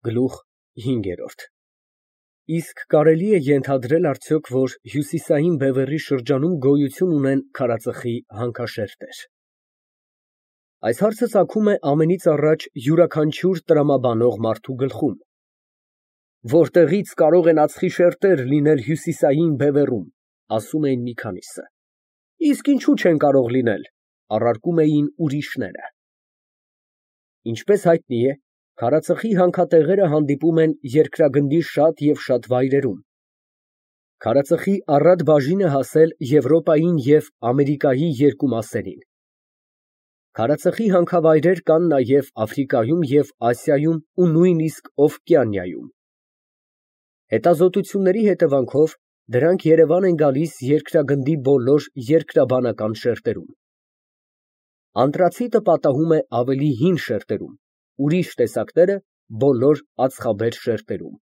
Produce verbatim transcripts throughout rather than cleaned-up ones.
Գլուխ հինգերորդ Իսկ կարելի է ենթադրել արդյոք, որ Հյուսիսային Բևեռի շրջանում գոյություն ունեն քարածխի հանքաշերտեր։ Այս հարցը ծագում է ամենից առաջ յուրաքանչյուր տրամաբանող մարդու գլխում։ Որտեղի՞ց կարող են ածխի շերտեր լինել Հյուսիսային Բևեռում, ասում էին մի քանիսը։ Իսկ ինչու չեն կարող լինել, առարկում էին ուրիշները։ Ինչպես հայտնի է, քարածխի հանքատեղերը հանդիպում են երկրագնդի շատ և շատ վայրերում։ Քարածխի առատ բաժինը հասել Եվրոպային և Ամերիկայի երկու մասերին։ Քարածխի հանքավայրեր կան նաև Աֆրիկայում և Ասիայում ու նույնիսկ Օվկիանիայում։ Հետազոտությունների հետևանքով դրանք Երևան են գալիս երկրագնդի բոլոր երկրաբանական շերտերում։ Անտրացիտը պատահում է ավելի հին շերտերում, ուրիշ տեսակները բոլոր ածխաբեր շերտերում։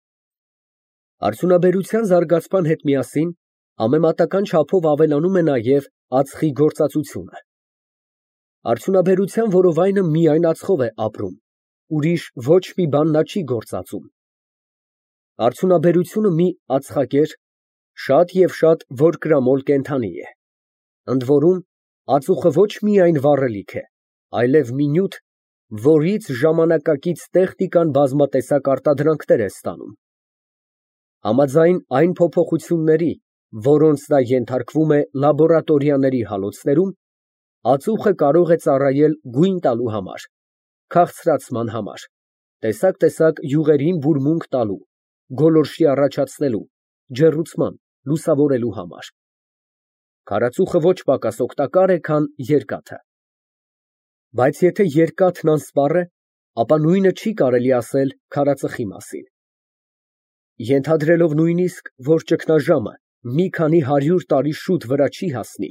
Արդյունաբերության զարգացման հետ միասին համեմատական չափով ավելանում է նաև ածխի գործածությունը։ Արդյունաբերության որովայնը միայն ածխով է ապրում, ուրիշ ոչ մի բան նա չի գործածում։ Արդյունաբերությունը մի ածխակեր, շատ և շատ որկրամոլ կենդանի է, ընդ որում ածուխը ոչ միայն վառելիք է, այլև մի նյութ, որից ժամանակակից տեխնիկան բազմատեսակ արտադրանքներ է ստանում։ Համաձայն այն փոփոխությունների, որոնց նա ենթարկվում է լաբորատորիաների հալոցներում, ածուխը կարող է ծառայել գույն տալու համար, քաղցրացման համար, տեսակ֊տեսակ յուղերին բուրմունք տալու, գոլորշի առաջացնելու, ջեռուցման, լուսավորելու համար։ Քարածուխը ոչ պակաս օգտակար է, քան երկաթը։ Բայց եթե երկաթն անսպառ է, ապա նույնը չի կարելի ասել քարածխի մասին։ Ենթադրելով նույնիսկ, որ ճգնաժամը մի քանի հարյուր տարի շուտ վրա չի հասնի,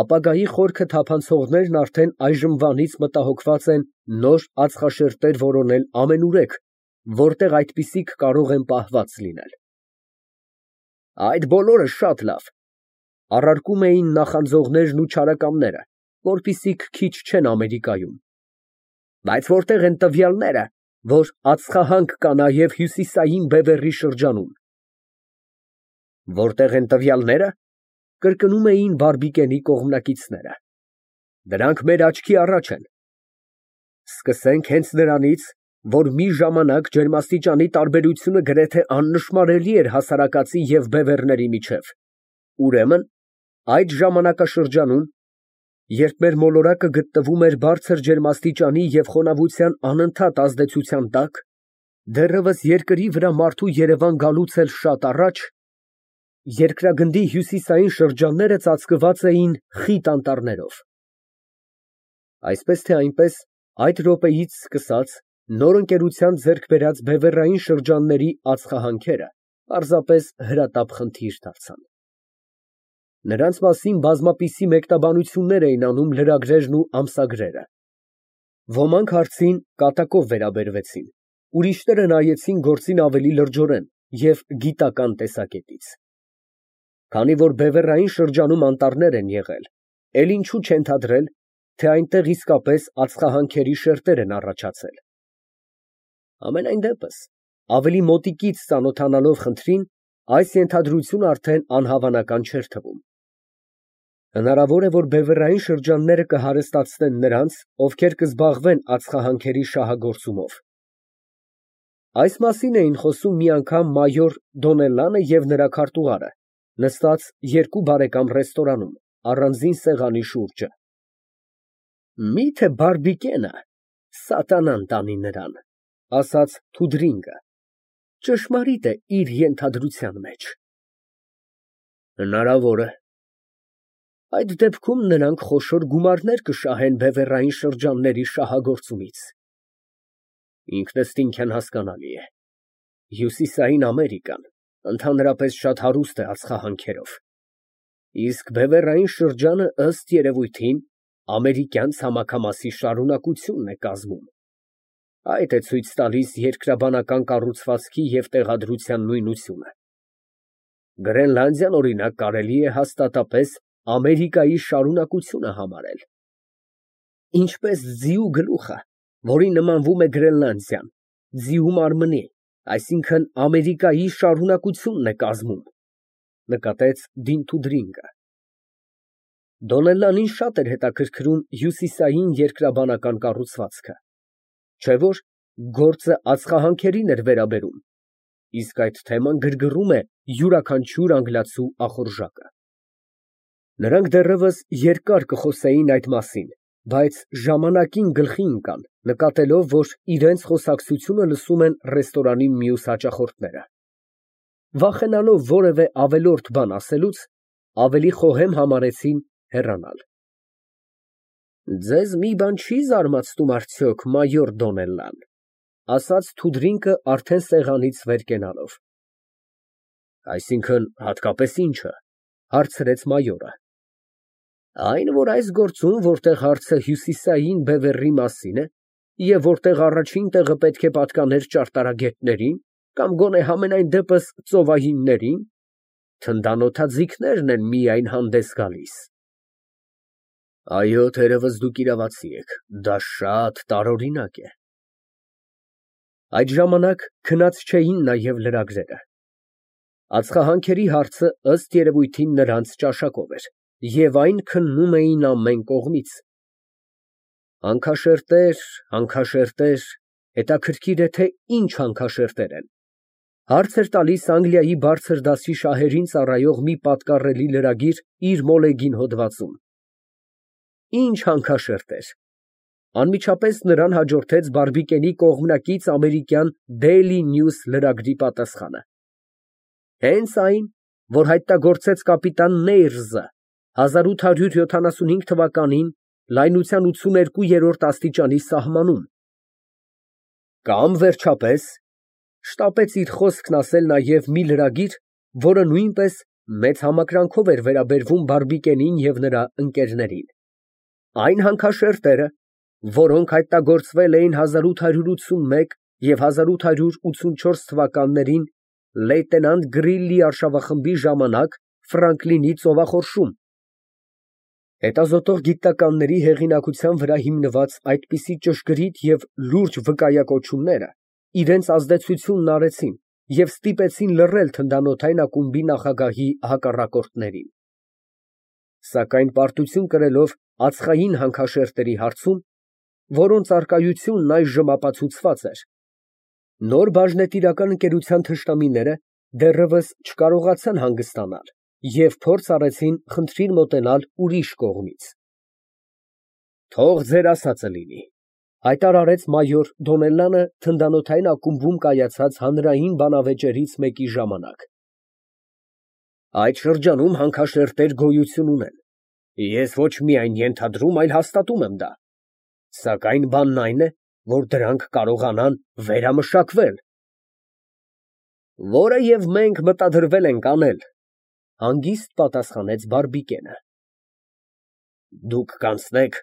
ապագայի խորքը թափանցողներն արդեն այժմվանից մտահոգված են նոր ածխաշերտեր որոնել ամենուրեք, որտեղ այդպիսիք կարող են պահված լինել։ Այդ բոլորը շատ լավ, առարկում էին նախանձողներն ու չարակամները, որպիսիք քիչ չեն Ամերիկայում։ Բայց որտե՞ղ են տվյալները, որ ածխահանք կա նաև Հյուսիսային Բևեռի շրջանում։ Որտե՞ղ են տվյալները, կրկնում էին Բարբիկենի կողմնակիցները։ Դրանք մեր աչքի առաջ են։ Սկսենք հենց նրանից, որ մի ժամանակ ջերմաստիճանի տարբերությունը գրեթե աննշմարելի էր հասարակածի և բևեռների միջև։ Ուրեմն, այդ ժամանակաշրջանում, երբ մեր մոլորակը գտնվում էր բարձր ջերմաստիճանի և խոնավության անընդհատ ազդեցության տակ, դեռևս երկրի վրա մարդու երևան գալուց էլ շատ առաջ, երկրագնդի հյուսիսային շրջանները ծածկված էին խիտ անտառներով։ Այսպես թե այնպես, այդ րոպեից սկսած, նոր ընկերության ձեռք բերած բևեռային շրջանների ածխահանքերը պարզապես հրատապ խնդիր դարձան։ Նրանց մասին բազմապիսի մեկնաբանություններ էին անում լրագրերն ու ամսագրերը։ Ոմանք հարցին կատակով վերաբերվեցին, ուրիշները նայեցին գործին ավելի լրջորեն և գիտական տեսակետից։ Քանի որ բևեռային շրջանում անտառներ են եղել, էլ ինչու չենթադրել, թե այնտեղ իսկապես ածխահանքերի շերտեր են առաջացել։ Համենայն դեպս, ավելի մոտիկից ծանոթանալով խնդրին, այս ենթադրությունը արդեն անհավանական չէր թվում։ Հնարավոր է, որ բևեռային շրջանները կհարստացնեն նրանց, ովքեր կզբաղվեն ածխահանքերի շահագործումով։ Այս մասին էին խոսում մի անգամ մայոր Դոնելլանը և նրա քարտուղարը, նստած երկու բարեկամ ռեստորանում, առանձին սեղանի շուրջը։ Միթե Բարբիկենը սատանան տանի նրան, ասաց Թուդրինգը, ճշմարիտ է իր ենթադրության մեջ։ Հնարավոր է։ Այդ դեպքում նրանք խոշոր գումարներ կշահեն բևեռային շրջանների շահագործումից։ Ինքնըստինքյան հասկանալի է։ Հյուսիսային Ամերիկան ընդհանրապես շատ հարուստ է ածխահանքերով, իսկ բևեռային շրջանը ըստ երևույթին ամերիկյան ցամաքամասի շարունակությունն է կազմում։ Այդ է ցույց տալիս երկրաբանական կառուցվածքի և տեղադրության նույնությունը։ Գրենլանդիան, օրինակ, կարելի է հաստատապես Ամերիկայի շարունակությունը համարել։ Ինչպես ձիու գլուխը, որին նմանվում է Գրենլանդիան, ձիու մարմնի, այսինքն Ամերիկայի շարունակությունն է կազմում, նկատեց Դինթուդրինգը։ Դոնելլանին շատ էր հետաքրքրում հյուսիսային երկրաբանական կառուցվածքը, չէ՞ որ գործը ածխահանքերին էր վերաբերում, իսկ այդ թեման գրգռում է յուրաքանչյուր անգլիացու ախորժակը։ Նրանք դեռևս երկար կխոսեին այդ մասին, բայց ժամանակին գլխի ընկան, նկատելով, որ իրենց խոսակցությունը լսում են ռեստորանի մյուս հաճախորդները։ Վախենալով որևէ ավելորդ բան ասելուց, ավելի խոհեմ համարեցին հեռանալ։ Ձեզ մի բան չի զարմացնում արդյոք, մայոր Դոնելլան, ասաց Թուդրինկը արդեն սեղանից վեր կենալով։ Այսինքն հատկապես ի՞նչը, հարցրեց մայորը։ Այն, որ այս գործում, որտեղ հարցը հյուսիսային բևեռի մասին է, և որտեղ առաջին տեղը պետք է պատկաներ ճարտարագետներին, կամ գոնե համենայն դեպս ծովահիններին, թնդանոթաձիգներն են միայն հանդես գալիս։ Այո, թերևս դուք իրավացի եք, դա շատ տարօրինակ է։ Այդ ժամանակ քնած չէին նաև լրագրերը։ Ածխահանքերի հարցը ըստ երևույթին նրանց ճաշակով էր, և այն քննում էին ամեն կողմից։ Հանքաշերտեր, հանքաշերտեր, հետաքրքիր է, թե ինչ հանքաշերտեր են, հարց էր տալիս Անգլիայի բարձր դասի շահերին ծառայող մի պատկառելի լրագիր իր մոլեգին հոդվածում։ Ինչ հանքաշերտեր։ Անմիջապես նրան հաջորդեց Բարբիկենի կողմնակից ամերիկյան Daily News լրագրի պատասխանը։ Հենց այն, որ հայտնագործեց կապիտան Նեյրզը հազար ութ հարյուր յոթանասունհինգ թվականին լայնության ութսուներկուերորդ աստիճանի սահմանում։ Կամ վերջապես, շտապեց իր խոսքն ասել նաև մի լրագիր, որը նույնպես մեծ համակրանքով էր վերաբերվում Բարբիկենին և նրա ընկերներին։ Այն հանքաշերտերը, որոնք հայտնագործվել էին հազար ութ հարյուր ութսունմեկ և հազար ութ հարյուր ութսունչորս թվականներին լեյտենանտ Գրիլլի արշավախմբի ժամանակ Ֆրանկլինի ծովախորշում։ Հետազոտող գիտնականների հեղինակության վրա հիմնված այդպիսի ճշգրիտ և լուրջ վկայակոչումները իրենց ազդեցությունն արեցին և ստիպեցին լռել թնդանոթային ակումբի նախագահի հակառակորդներին։ Սակայն պարտություն կրելով ածխային հանքաշերտերի հարցում, որոնց առկայությունն այժմ ապացուցված էր, նոր բաժնետիրական ընկերության թշնամիները դեռևս չկարողացան հանգստանալ և փորձ արեցին խնդրին մոտենալ ուրիշ կողմից։ Թող ձեր ասածը լինի, հայտարարեց մայոր Դոնելլանը թնդանոթային ակումբում կայացած հանրային բանավեճերից մեկի ժամանակ։ Այդ շրջանում հանքաշերտեր գոյություն ունեն։ Ես ոչ միայն ենթադրում, այլ հաստատում եմ դա։ Սակայն բանն այն է, որ դրանք կարողանան վերամշակվել։ Որը և մենք մտադրվել ենք անել, հանգիստ պատասխանեց Բարբիկենը։ Դուք կանցնեք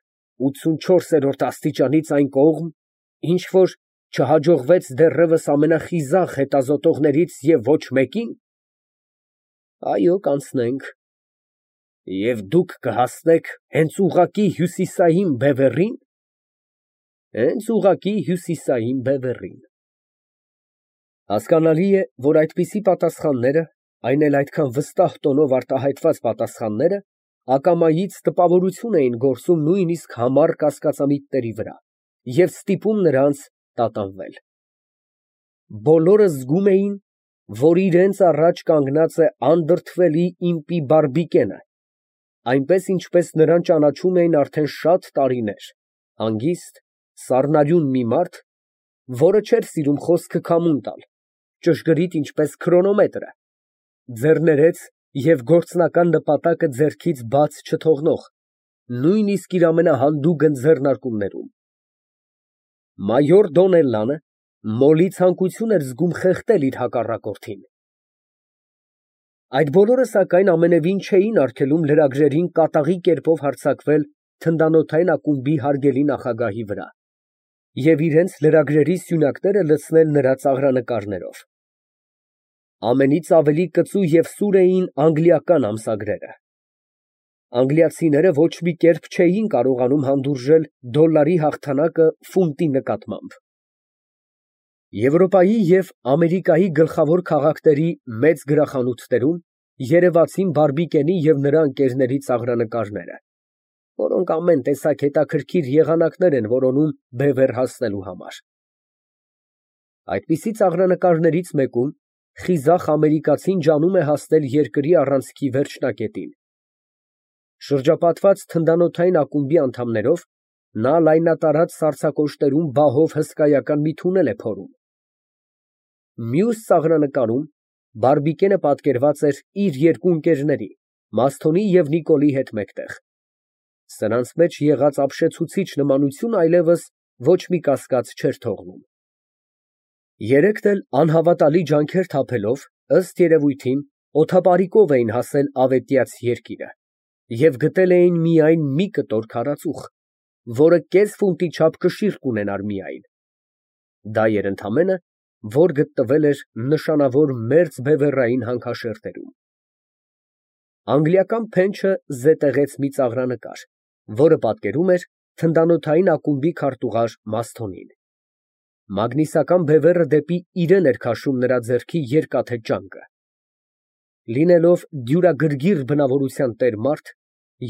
ութսունչորսերորդ աստիճանից այն կողմ, ինչ որ չհաջողվեց դեռևս ամենախիզախ հետազոտողներից և ոչ մեկին։ Այո, կանցնենք։ Եվ դուք կհասնեք հենց ուղղակի հյուսիսային բևեռի՞ն։ Հենց ուղղակի հյուսիսային բևեռին։ Հասկանալի է, որ այդպիսի պատասխանները, այն էլ այդքան վստահ տոնով արտահայտված պատասխանները, ակամայից տպավորություն էին գործում նույնիսկ համառ կասկածամիտների վրա և ստիպում նրանց տատանվել։ Բոլորը զգում էին, որ իրենց առաջ կանգնած է անդրդվելի իմպի Բարբիկենը, այնպես, ինչպես նրան ճանաչում էին արդեն շատ տարիներ, հանգիստ, սառնարյուն մի մարդ, որը չէր սիրում խոսքը քամուն տալ, ճշգրիտ ինչպես քրոնոմետրը, ձեռներեց և գործնական նպատակը ձեռքից բաց չթողնող, նույնիսկ իր ամենահանդուգն ձեռնարկումներում։ Մայոր Դոնելլանը մոլի ցանկություն էր զգում խեղդել իր հակառակորդին։ Այդ բոլորը, սակայն, ամենևին չէին արգելում լրագրերին կատաղի կերպով հարձակվել թնդանոթային ակումբի հարգելի նախագահի վրա և իրենց լրագրերի սյունակները լցնել նրա ծաղրանկարներով։ Ամենից ավելի կծու և սուր էին անգլիական ամսագրերը։ Անգլիացիները ոչ մի կերպ չէին կարողանում հանդուրժել դոլարի հաղթանակը ֆունտի նկատմամբ։ Եվրոպայի և Ամերիկայի գլխավոր քաղաքների մեծ գրախանութներում երևացին Բարբիկենի և նրա ընկերների ծաղրանկարները, որոնք ամեն տեսակ հետաքրքիր եղանակներ են որոնում բևեռ հասնելու համար։ Այդպիսի ծաղրանկարներից մեկում խիզախ ամերիկացին ջանում է հասնել երկրի առանցքի վերջնակետին։ Շրջապատված թնդանոթային ակումբի անդամներով, նա լայնատարած սառցակոշտերում բահով հսկայական մի թունել է փորում։ Մյուս ծաղրանկարում Բարբիկենը պատկերված էր իր երկու ընկերների՝ Մասթոնի և Նիկոլի հետ մեկտեղ։ Սրանց մեջ եղած ապշեցուցիչ նմանությունը այլևս ոչ մի կասկած չէր թողնում։ Երեքն էլ անհավատալի ջանքեր թափելով, ըստ երևույթին, օդապարիկով էին հասել ավետյաց երկիրը և գտել էին միայն մի կտոր քարածուխ, որը կես ֆունտի չափ կշիռ կունենար միայն։ Դա էր ընդամենը, որ գտնվել էր նշանավոր մերձ բևեռային հանքաշերտերում։ Անգլիական փենչը զետեղեց մի ծաղրանկար, որը պատկերում էր թնդանոթային ակումբի քարտուղար Մասթոնին։ Մագնիսական բևեռը դեպի իրեն էր քաշում նրա ձեռքի երկաթե ճանկը։ Լինելով դյուրագրգիռ բնավորության տեր մարդ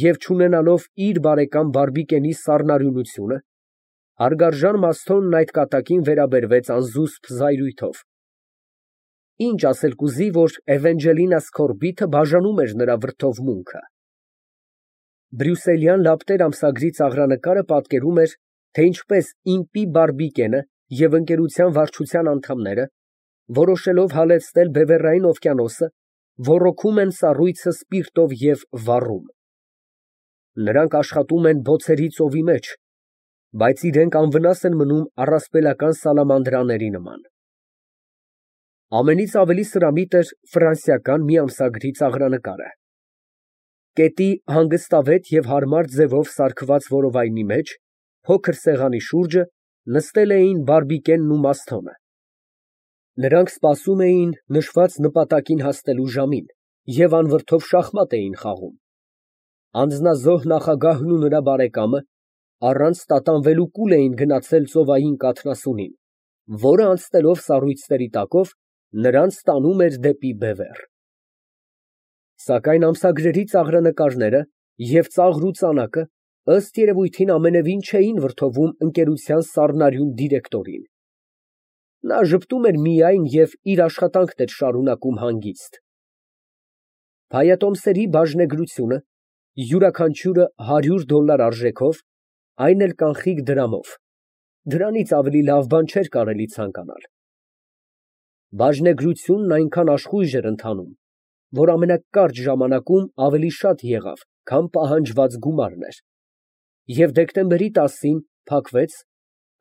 և չունենալով իր բարեկամ Բարբիկենի սառնարյունությունը, հարգարժան Մասթոնն այդ կատակին վերաբերվեց անզուսպ զայրույթով։ Ինչ ասել կուզի, որ Էվենջելինա Սքորբիթը բաժանում էր նրա վրդովմունքը։ Բրյուսելյան լապտեր ամսագրի ծաղրանկարը պատկերում էր, թե ինչպես իմպի Բարբիկենը և ընկերության վարչության անդամները, որոշելով հալեցնել Բևեռային օվկիանոսը, ոռոգում են սառույցը սպիրտով և վառում։ Նրանք աշխատում են բոցերի ծովի մեջ, բայց իրենք անվնաս են մնում առասպելական սալամանդրաների նման։ Ամենից ավելի սրամիտ էր ֆրանսիական մի ամսագրի ծաղրանկարը։ Կետի հանգստավետ և հարմար ձևով սարքված որովայնի մեջ, փոքր սեղանի շուրջը, նստել էին Բարբիկենն ու Մասթոնը։ Նրանք սպասում էին նշված նպատակին հասնելու ժամին և անվրդով շախմատ էին խաղում։ Անձնազոհ նախագահն ու նրա բարեկամը առանց տատանվելու կուլ էին գնացել ծովային կաթնասունին, որը անցնելով սառույցների տակով, նրանց տանում էր դեպի բևեռ։ Սակայն ամսագրերի ծաղրանկարները և ծաղր ու ծանակը, ըստ երևույթին, ամենևին չէին վրդովում ընկերության սառնարյուն դիրեկտորին։ Նա ժպտում էր միայն և իր աշխատանքն էր շարունակում հանգիստ։ Փայատոմսերի բաժնեգրությունը, յուրաքանչյուրը հարյուր դոլար արժեքով, այն էլ կանխիկ դրամով, դրանից ավելի լավ բան չէր կարելի ցանկանալ։ Բաժնեգրությունն այնքան աշխույժ էր ընթանում, որ ամենակարճ ժամանակում ավելի շատ եղավ, քան պահանջված գումարն էր, և դեկտեմբերի տասին փակվեց,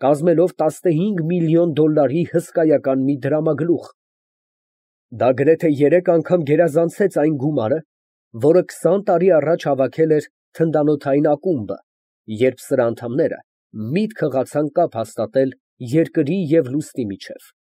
կազմելով տասնհինգ միլիոն դոլարի հսկայական մի դրամագլուխ։ Դա գրեթե երեք անգամ գերազանցեց այն գումարը, որը քսան տարի առաջ հավաքել էր թնդանոթային ակումբը, երբ սրա անդամները միտք հղացան կապ հաստատել երկրի և լուսնի միջև։